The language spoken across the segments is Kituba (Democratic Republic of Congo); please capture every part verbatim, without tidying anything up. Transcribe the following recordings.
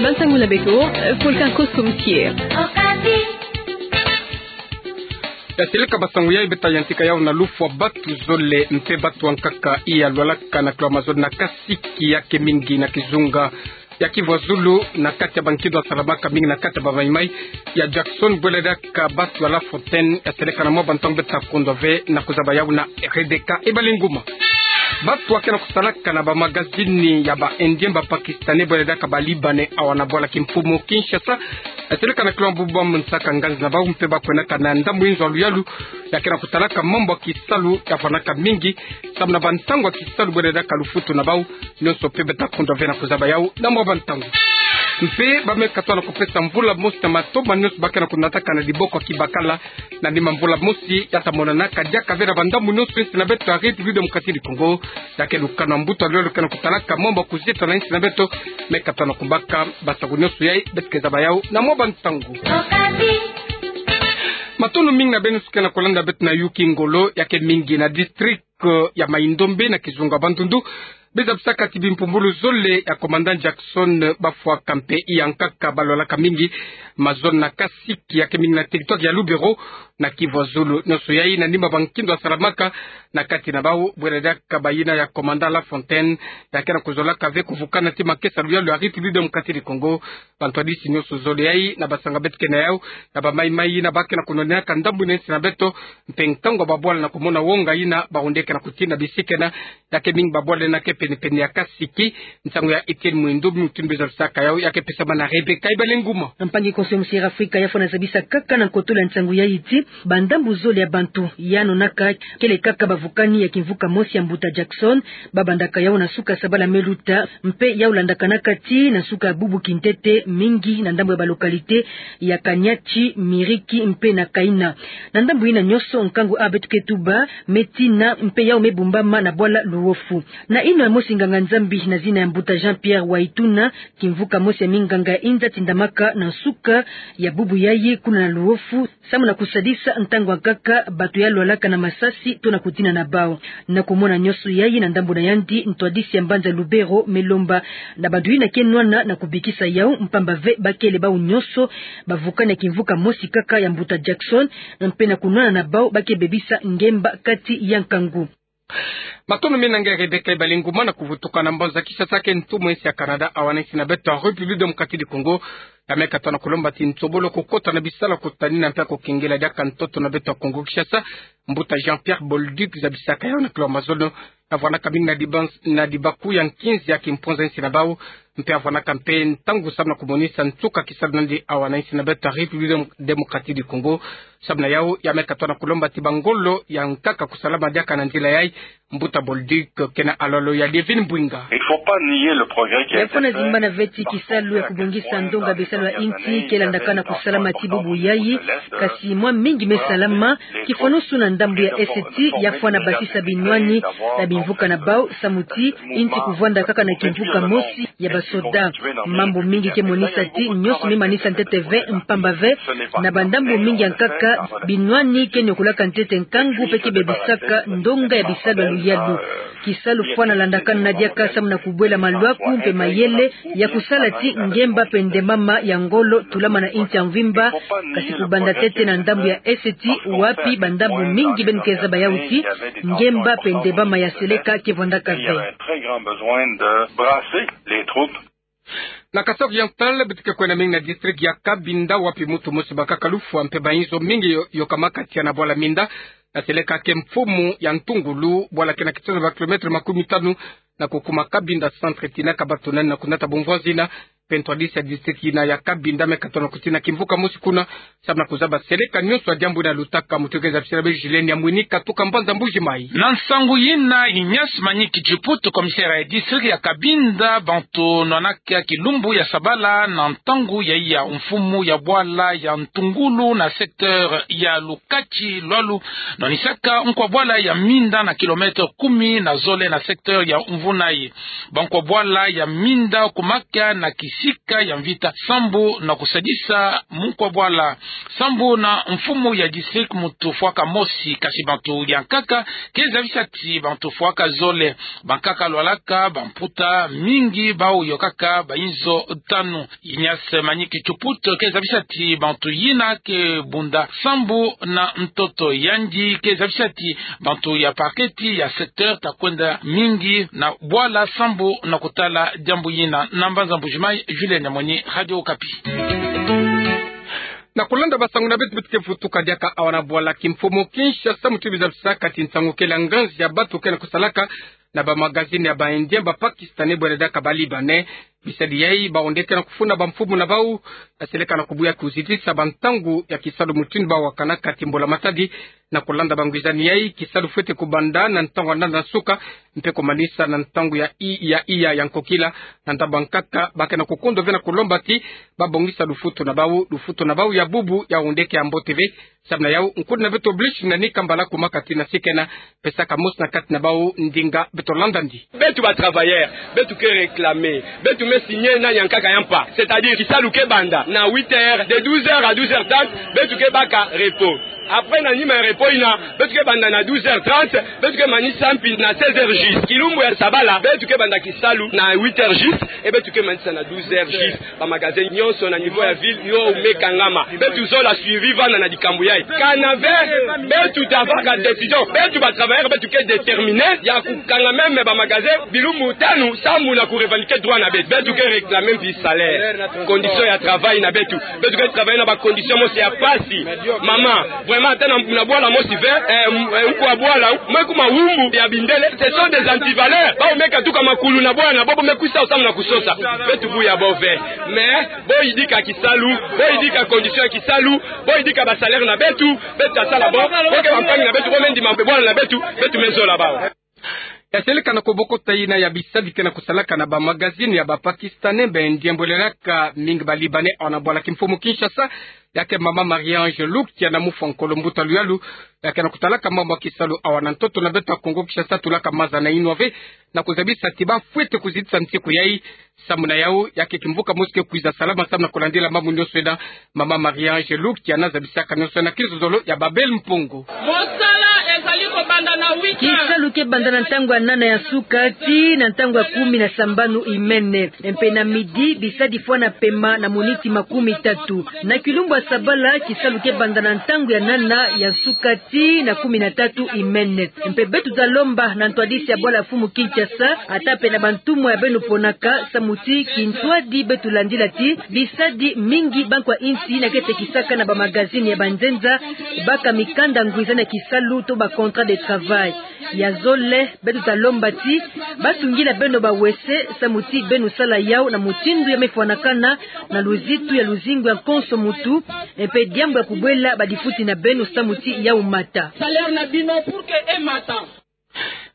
Bansangu na beko, Volcan Kosum Kier. Ya seleka basangu yai, beta yantika yau na lufwa batu zole mpe batu ankaka iya lwalaka na kilolo Amazone na kasiki yake mingi na kizunga ya Kivu Zulu, na kati ya bankindo asalamaka mingi na kati ya bamaimai ya Jackson, bwele diaka batu ya La Fontaine. Ya seleka na mwa bantangu beta kundwa ve na kuzaba yau na Rebecca Ebalenguma. Batu ake na kusalaka na bamagazini ya ba Indien, ba Pakistanais, bwele diaka ba Libanais, awa na bwala kimfumu Kinshasa. Ya seleka na kilolo bubu ba monsaka nganzi na bau mpe ba kwenaka na ndambu inzo ya luyalu yake na kutalaka mambu ya kisalu ya fwanaka mingi, samu na bantangu ya kisalu bwele diaka lufutu na bau. Nyonso mpe beta kundwa ve na kuzaba yau na mwa bantangu. Mpe ba me katoa na kupesa mvula mosi na matoma nyonso bake na kunataka na diboko ya kibakala na nima mvula mosi ya ta monanaka diaka ve na bandambu nyonso insi na beto ya République Démocratique du Congo. Yake lukanu ya mbuta luyalu ke na kutalaka mambu ya kuzieta na insi na beto me katoa na kubaka. Basangu nyonso yai beta ke zaba yau na mwa bantangu. Matondo mingi na beno nyonso ke na kulanda beto na Yuki Ngolo, yake mingi na district ya Mai-Ndombe na kizunga Bandundu. Be zabisaka ti bimpumbulu zole ya commandant Jackson bafwaka mpe iya nkaka balwalaka mingi mazono na kasiki yake mingi na territoire ya Lubero na Kivu Zulu. Nyonso yai na nima bankindo asalamaka na kati na bau, bwele diaka bayina ya commandant La Fontaine, yake na kuzolaka ve kuvukana ti makesa luyalu ya République Démocratique du Congo. Bantwadisi nyonso zole yai na basanga beto ke na yau, na bamaimai yina bake na kunwanenaka ndambu ina insi na beto, mpe nkangu ya babwala na kumona wonga yina bawundeke na kutina bisi kena, yake mingi babwala yina ke pene-pene ya kasiki. Nsangu ya Etienne Mwindu, mutindu be zabisaka yau, yake pesama na Rebecca Ebalenguma. Mpangi konso ya Musiera Afrika ya fwana zabisa kaka na nkotolo ya nsangu yai ti bandambu zole ya bantu ya nonaka kele kaka bavukani ya kimvuka mosi ya mbuta Jackson, babandaka yau na suka sabala me luta, mpe yau landakanaka ti na suka bubu kintete mingi na ndambu ya balocalité ya Kaniachi, Miriki mpe na Kaina. Na ndambu ina nyonso nkangu a beto ke tuba me tina mpe yau me bumbama na bwala Luofu. Na ino ya mosi nganga-Nzambi na zina ya mbuta Jean-Pierre Waituna, kimvuka mosi ya minganga inza tindamaka na nsuka ya bubu yai kuna na Luofu, samu na kusadisa ntangu ya nkaka bato ya lwalaka na masasi to na kutina na bau. Na kumona nyonso yai na ndambu na yandi, ntwadisi ya mbanza Lubero me lomba na bato yina ke nwana na kubikisa yau, mpamba ve bakele bau nyonso bavukani ya kimvuka mosi kaka ya mbuta Jackson, mpe na kunwana na bau bake bebisa ngemba kati ya nkangu. Matondo mingi na nge Rebecca Ebalenguma. Na kuvutuka na mbanza Kinshasa ke ntumwa insi ya Canada awa na insi na beto ya République Démocratique du Congo, ya me katoa na kulomba ti nsobolo kukota na bisalu ya kutanina mpe ya kukengela diaka ntoto na beto ya Congo Kinshasa, mbuta Jean-Pierre Bolduc zabisaka yau na kilolo Amazone, ya vwanaka mingi na diban-, na dibaku ya nkinzi ya kimponza insi na bau, mpe ya vwanaka mpe ntangu samu na kumonisa nsuka kisalu na yandi awa na insi na beto ya République Démocratique du Congo. Samu na yau, ya me katoa na kulomba ti bangolo ya nkaka kusalama diaka na nzila yai. Mbuta Bolduc ke na alolo ya Lievine Mbwinga. Il faut pas nier le progrès qui a été fait. Ya fwana zimbana ve ti kisalu ya kubongisa ndonga bisalu ya insi ke landakana kusalama ti bubu yai, kasi mwa mingi me salama, kifwanusu na ndambu ya Est ti ya fwana basisa binwani na bimvuka na bau, samu ti insi kuvwanda kaka na kimvuka mosi ya basoda. Mambu mingi ke monisa ti nyonso me manisa ntete ve, mpamba ve na bandambu mingi ya nkaka binwani ke niokolaka ntete nkangu mpe ke bebisaka ndonga ya bisalu ya luyalu. Kisalu fwana landakana diaka samu na kubwela malwaku mpe mayele ya kusala ti ngemba mpe ndembama ya ngolo tulama na insi ya mvimba, kasi kubanda ntete na ndambu ya Est ti wapi bandambu mingi beno ke zaba yau ti ngemba mpe ndembama ya seleka ke vwandaka ve. Il y avait un très grand besoin de brasser les troupes. Na Kasaï Oriental, beto ke kwenda mingi na district ya Cabinda, wapi mutu mosi bakaka lufwa mpe bainzo mingi yo-, yokamaka tia na bwala Minda, na seleka ke mfumu ya Ntungulu, bwala ke na kitono ba kilomètre makumi tanu na kukuma Cabinda centre. Tinaka bato nani na kunata bumvwazina, mpe ntwadisi ya district yina ya Cabinda me katono kutina kimvuka mosi kuna, samu na kuzaba seleka nyonso ya diambu yina lutaka. Mutu ke zabisila be Julien Nyamwini katuka mbanza Mbuji Mayi. Na nsangu yina, Ignace Maniki Djiputu, commissaire ya district ya Cabinda, bantu nwanaka kilumbu ya sabala na ntangu ya iya mfumu ya bwala ya Ntungulu na secteur ya Lukati Lwalu, nwanisaka nkwa bwala ya Minda na kilomètre kumi na zole na secteur ya Mvunayi. Bankwa bwala ya Minda kumaka na ki sika ya mvita, sambu na kusadisa munkwa bwala. Sambu na mfumu ya district muntu fwaka mosi, kasi bantu ya nkaka ke zabisa ti bantu fwaka zole. Bankaka lwalaka bamputa mingi, bau yokaka bainzo tanu. Ignace Manicke Chuput ke zabisa ti bantu yina ke bunda sambu na ntoto, yandi ke zabisa ti bantu ya parquet ti ya secteur ta kwenda mingi na bwala sambu na kutala diambu yina. Na mbanza Mbuji-Mayi, Julien Nyamwenyi, Radio Okapi. Na kulanda basangu na beto, beto ke vutuka diaka awa na bwala kimfumu Kinshasa, muti biza bisaka ti nsangu kele nganzi ya batu ke na kusalaka na bamagazini ya ba Indien, ba Pakistanais, bwele diaka ba Libanais. Bisadi yai, bawu nde ke na kufuna bamfumu na bau, seleka na kubuya kuzitisa bantangu ya kisalu mutindu bawakanaka ti mbula matadi. Na kulanda bangwizani yai, kisalu fwete kubanda na ntangu ya nana nsuka, mpe kumanisa na ntangu ya i-, ya iya ya nkokila. Na nda bankaka ba ke na kukondo ve na kulomba ti babongisa lufutu na bau, lufutu na bau ya bubu yawu nde ke ya mbote ve. Samu na yau, nkundi na beto Blich na Nika Mbala, kuma kati na sikena, pesaka mosi na kati na bau ndinga, beto landa ndi. Beto ba travailleurs, beto ke réclamer, beto me signer na ya nkaka ya mpa. C'est-à-dire, kisalu ke banda na huit heures, de douze heures à douze heures trente, beto ke baka repos. Après, na nima ya repos yina, beto ke banda na douze heures trente, beto ke manisa mpi na seize heures juste. Kilumbu ya sabala, beto ke banda kisalu na huit heures juste, et beto ke manisa na douze heures juste. Ba magasin nyonso na niveau ya ville yo me kangama. Beto zola suivi vanda na dikambu yai. Kana ve, beto ta vaka décision. Beto ba travailleurs, beto ke déterminés ya kukanga même ba magasin bilumbu tanu, sambu na ku revendiquer droit na beto. Beto ke réclamer mpi salaire, condition ya travail na beto. Beto ke travailler na ba condition mosi ya pasi. Mama, vraiment, ata na, na bwala mosi ve, eh, m-, eh, nkwa bwala, mwe kuma wumbu ya bindele, ce sont des antivaleurs. Bau me katuka makulu na bwala, bobo me kwisa sambu na kusosa. Beto buya bo ve. Mais, bo yidika kisalu, bo yidika condition ya kisalu, bo yidika ba salaire na beto, beto ta sala bo, bo ke bampangi na beto, bo me ndima bwala na beto, beto me zola bau. Ya seleka na kobokota yina ya bisadi ke na kusalaka na ba magazine ya ba Pakistanais, ba Indiens, bwelelaka mingi ba Libanais, awa na bwala kimfumu Kinshasa, ya ke mama Marie-Ange Lukia na mufwa nkolo mbuta luyalu, ya ke na kutalaka mambu ya kisalu awa na ntoto na beto ya Kongo Kinshasa, tulaka maza na inwa ve, na kuzabisa ti ba fwete kuzitisa nsiku yai. Samu na yau, ya ke kimvuka mosi ke kwiza salama samu na kulandila mambu nyonso yina. Mama Marie-Ange Lukia na zabisaka nyonso yina na kinzonzolo ya Babel Mpongo. Mosala ezali kobanda na huit heures. Kisalu ke banda na ntangu ya nana ya nsuka tii na ntangu ya kumi na sambanu imene. Mpe na midi, bisadi fwana pema na miniti makumi tatu. Na kilumbu ya sabala, kisalu ke banda na ntangu ya nana ya nsuka tii na kumi na tatu imene. Mpe beto ta lomba na ntwadisi ya bwala mfumu Kinshasa, ata mpe na bantumwa ya beno ponaka, samu ti kintwadi beto landila ti bisadi mingi ba nkwa insi na ke tekisaka na ba magazine ya banzenza, baka mikanda ngwizani ya kisalu to ba contrat de travail. Ya zole, beto ta lomba ti batungila beno ba WC, samu ti beno sala yau na mutindu ya me fwanakana, na luzitu ya luzingu ya konso muntu, mpe diambu ya kubwela badifuti na beno samu ti yau mata. Salaire na bino pour que emata.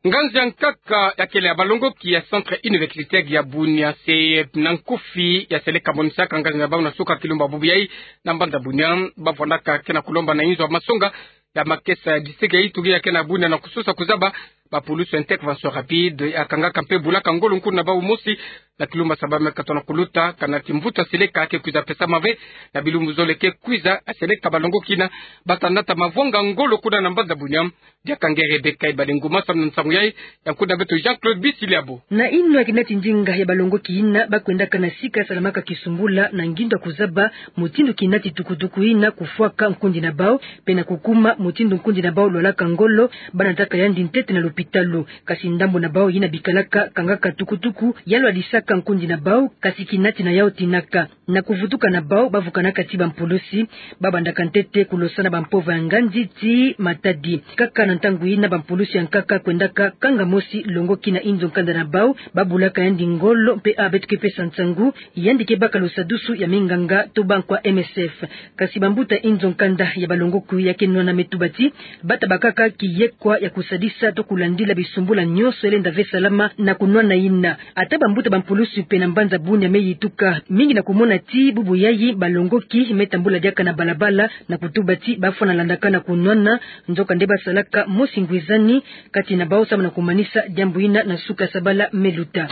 Nganzi ya nkaka ya kele ya balongoki ya Centre Universitaire ya Bunia, se na nkufi ya seleka monisaka nganzi na bau na suka kilumbu ya bubu yai na mbanza Bunia, ba fwanaka ke na kulomba na inzo ya masonga ya makesa ya district ya Ituri ya ke na Bunia na kusosa kuzaba ba pulusu ya intervention rapide ya kangaka mpe bulaka ngolo nkundi na bau mosi na kilumbu ya saba me katono kuluta, kana ti mvutu ya seleka ke kwiza pesama ve na bilumbu zole ke kwiza. Ya seleka balongoki yina ba ta nata mavwanga ngolo kuna na mbanza Bunia. Diaka nge Rebecca Ibale Nguma samu na nsangu yai, ya nkundi na beto Jean-Claude Bisiliabo. Na inwa ya kinati ndinga ya balongoki yina, ba kwendaka na sika salamaka kisumbula na ngindu ya kuzaba mutindu kinati tukutuku yina kufwaka nkundi na bau, mpe na kukuma mutindu nkundi na bau lwalaka ngolo, ba nataka yandi ntete na lopitalo. Kasi ndambu na bau yina bikalaka kangaka tukutuku ya lwadisaka nkundi na bau, kasi kinati na yau tinaka. Na kuvutuka na bau, ba vukanaka ti bampulusi, ba bandaka ntete kulosa na bampova ya nganzi ti matadi. Kaka na ntangu yina bampulusi ya nkaka kwendaka kanga mosi longoki na inzo nkanda na bau, ba bulaka yandi ngolo mpe a beto ke pesa nsangu, yandi ke baka lusadusu ya minganga to ba nkwa M S F. Kasi bambuta inzo nkanda ya balongoki ya ke nwana me tuba ti ba ta bakaka kiyekwa ya kusadisa to kulandila bisumbula nyonso ya lenda ve salama na kunwana yina. Ata bambuta bampulusi mpe na mbanza Bunia me yituka mingi na kumona ti bubu yai balongoki me tambula diaka na balabala na kutuba ti ba fwana landaka na kunwana, nzokande ba salaka mosi ngwizani kati na bau samu na kumanisa diambu yina na suka sabala me luta.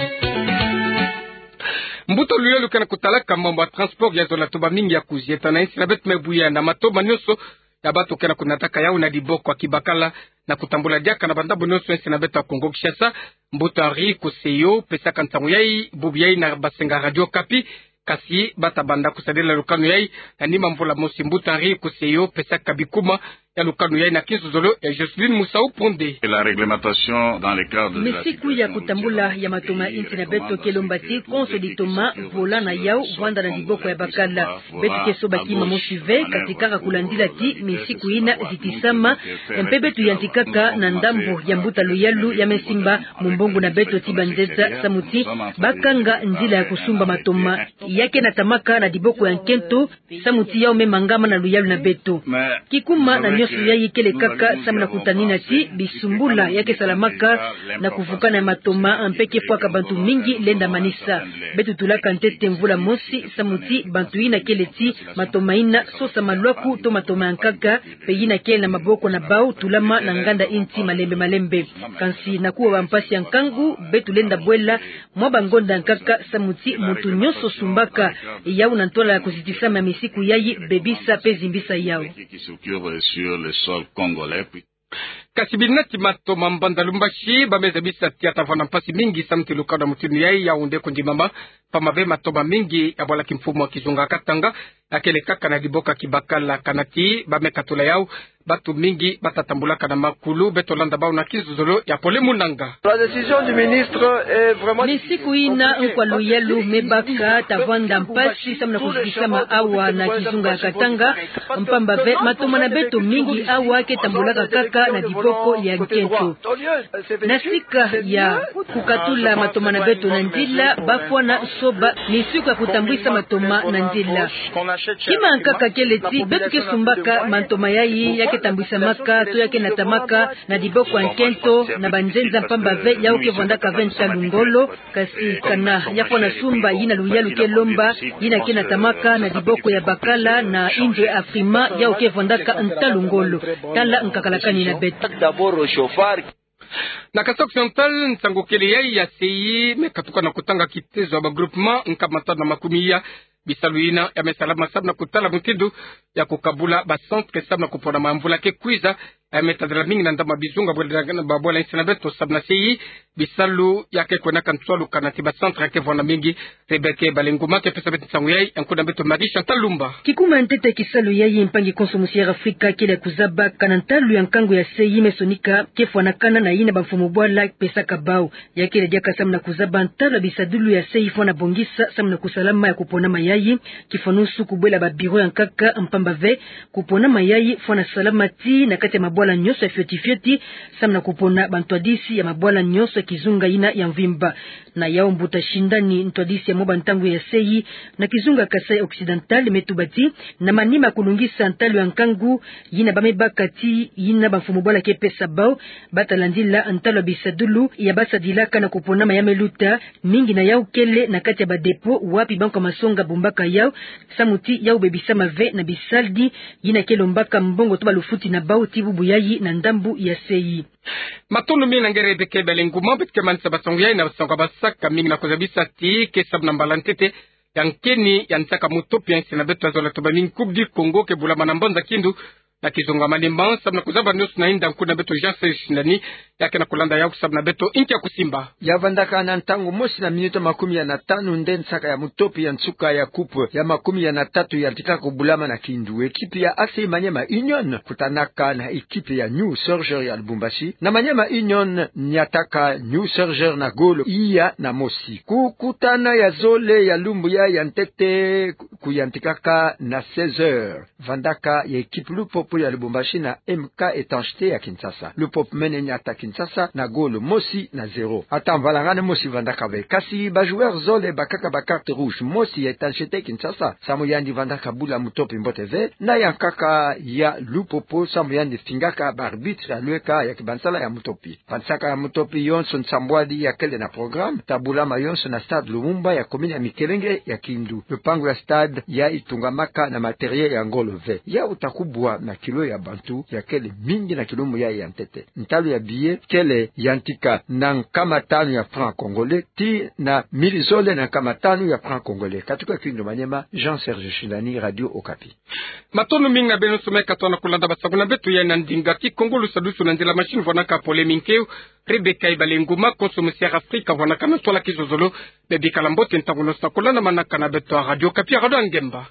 Mbuta luyalu ke na kutalaka mambu ya transport ya zola toba mingi ya kuzieta na insi na beto me buya na matoma nyonso ya bato ke na kunataka yau na diboko ya kibakala, na kutambula diaka na bandambu nyonso insi na beto ya Kongo Kinshasa. Mbuta Henri Koseyo pesaka nsangu yai bubu yai na basenga Radio Okapi. Kasi bata banda kusadila lukanu yai na nima mvula mosi. Mbuta Henri Koseyo pesaka bikuma ya lukanu yai na kinzozolo ya Joseline Musau Ponde. Et la réglementation dans les cadres de la... Misiku ya kutambula ya matoma insi na beto ke lomba ti konso ditoma volant na yau vwanda na diboko ya bakala. Beto ke soba kima mosi ve, kati kaka kulandila ti misiku ina zitisama, mpe beto yantikaka na ndambu ya mbuta luyalu ya me simba mumbongo na beto ti banzenza, samu ti bakanga nzila ya kusumba matoma ya ke natamaka na diboko ya nkento, samu ti yau me mangama na luyalu na beto. Kikuma na nyonso yai kele kaka samu na kutanina ti bisumbula ya ke salamaka na kuvukana ya matoma mpe ke fwaka bantu mingi lenda manisa. Beto tulaka ntete mvula mosi samu ti bantu ina kele ti matoma ina sosa malwaku to matoma ya nkaka, mpe ina kele na maboko na bau tulama na nganda inti malembe malembe. Kansi na kuwa bampasi ya nkangu, beto lenda bwela mwa bangonda ya nkaka samu ti muntu nyonso sumbaka yau na ntwala ya kuzitisama ya misiku yai bebisa mpe zimbisa yau. Qui s'occupe sur le sol congolais. Kasi binati matoma mbanza Lubumbashi ba me zabisa ti ya ta vwanda mpasi mingi samu ti lukanu ya mutinu yai yau nde kundimama, mpamba ve matoma mingi ya bwala kimfumu ya kizunga Katanga ya kele kaka na diboko ya kibakala. Kana ti ba me katula yau, bato mingi bata tambulaka na makulu. Beto landa bau na kinzozolo ya Pole Munanga. La décision du ministre est vraiment... Misiku ina nkwa luyalu me baka ta vwanda mpasi samu na kuzitisama awa na kizunga ya Katanga, mpamba ve matoma na beto mingi awa ke tambulaka kaka na diboko ya nkento. Na sika ya kukatula matoma na beto na nzila, ba fwana soba misiku ya kutambwisa matoma na nzila. Kima ya nkaka kele ti beto ke sumbaka matoma yai ya ke tambwisamaka to ya ke natamaka na diboko ya nkento na banzenza, mpamba ve yau ke vwandaka ve ntalu ngolo. Kasi kana ya fwana sumba yina luyalu ke lomba, yina ke natamaka na diboko ya bakala na inzo ya Afrima, yau ke vwandaka ntalu ngolo. Tala nkakala kani na beto. Na Kasaï Occidental, nsangu kele yai ya sei me katuka na kutanga kitezo ya ba groupement nkama tanu na makumi ya bisalu ina ya me salama samu na kutala mutindu ya kukabula ba centre samu na kupona ma mvula ke kwiza. Ya me tadila mingi na ndambu ya bizunga bwela, ba bwela insi na beto samu na sei bisalu ya ke kwendaka ntwalu. Kana ti ba centre ya ke vwanda mingi. Rebecca Balenguma ke pesa beto nsangu yai, nkuna beto Marie Chantal Lumba. Kikuma ntete kisalu yai, mpangi konso musi ya Afrika kele ya kuzaba kana ntalu ya nkangu ya sei me sonika ke fwanakana na yina bamfumu bwala pesaka bau. Ya kele diaka samu na kuzaba ntalu ya bisadulu ya sei fwana bongisa samu na kusalama ya kuponama yai. Kifwanusu kubwela ba bureau ya nkaka, mpamba ve kuponama yai fwana salama ti na kati ya mabwala nyonso ya fioti fioti, samu na kupona bantwadisi ya mabwala nyonso ya kizunga ina ya mvimba. Na yau mbuta Shindani, ntwadisi ya mwa bantangu ya sei na kizunga Kasaï Occidental, me tuba ti na manima ya kulungisa ntalu ya nkangu yina ba me baka ti yina bamfumu bwala ke pesa bau, bata landila ntalu ya bisadulu ya basadilaka na kuponama ya me luta, mingi na yau kele na kati ya ba dépôt wapi bankwa masonga bumbaka yau, samu ti yau bebisama ve na bisadi yina ke lombaka mbongo to ba lufuti na bau ti bubu yai na ndambu ya sei. Matondo mingi na ngere Rebecca Balenguma. Beto ke manisa ba nsangu yai na ba nsangu ya basaka, mingi na kuzabisa ti ke samu na mbala ntete ya nkeni ya nsaka mutopi ya insi na beto ya zola toba mingi Coupe du Congo ke bulama na mbanza Kindu na kizunga Maniema, samu na kuzaba nyonso na inda, nkuna beto Jean Serge Shindani ya ke na kulanda yau samu na beto inki ya kusimba. Ya vandaka na ntangu mosi na minuti makumi ya na tanu nde nsaka ya mutopi ya nsuka ya coupe ya makumi ya na tatu yantika kubulama na Kindu. Ekipi ya A C Maniema Union kutanaka na ekipi ya New Sorgers ya Lubumbashi. Na Maniema Union niataka New Sorgers na golo iya na mosi. Kukutana ya zole ya lumbu ya ya ntete kuyantikaka na seize heures. Vandaka ya ekipi Lupopo ya Lubumbashi na M K Étanchéité ya Kinshasa. Lupopo mene niata Kinshasa na golo mosi na zéro. Ata mvalangane mosi vandaka ve. Kasi ba joueurs zole bakaka ba carte rouge, mosi ya Étanchéité Kinshasa, samu yandi vandaka bula mutopi mbote ve, na ya nkaka ya Lupopo, samu yandi fingaka ba arbitres ya lweka ya kibansala ya mutopi. Bansaka ya mutopi yonso nsambwadi ya kele na programme, ta bulama yonso na stade Lumumba ya commune ya Mikelenge ya Kindu. Lupangu ya stade ya itungamaka na matériel ya ngolo ve. Ya uta kubwa na Kilo ya bantu ya kele mingi na kilo moya ya ntete. Ntalu ya billet kele yantika na nkama tanu ya franc congolais, tii na mili zole na nkama tanu ya franc congolais. Katuka Kindu Maniema, Jean Serge Shilani, Radio Okapi. Matondo mingi na beno somo katwa na kulanda basango na beto ya na ndinga Kikongo. Lusadusu na nzila machine vwanaka Pole Minkeu, Rebecca Ibalenguma, konso Monsieur Afrika vwanaka na ntwala kizozolo. Bebikala mbote ntangu noso na kulanda manaka na beto ya Radio Okapi ya Rado ya Ngemba.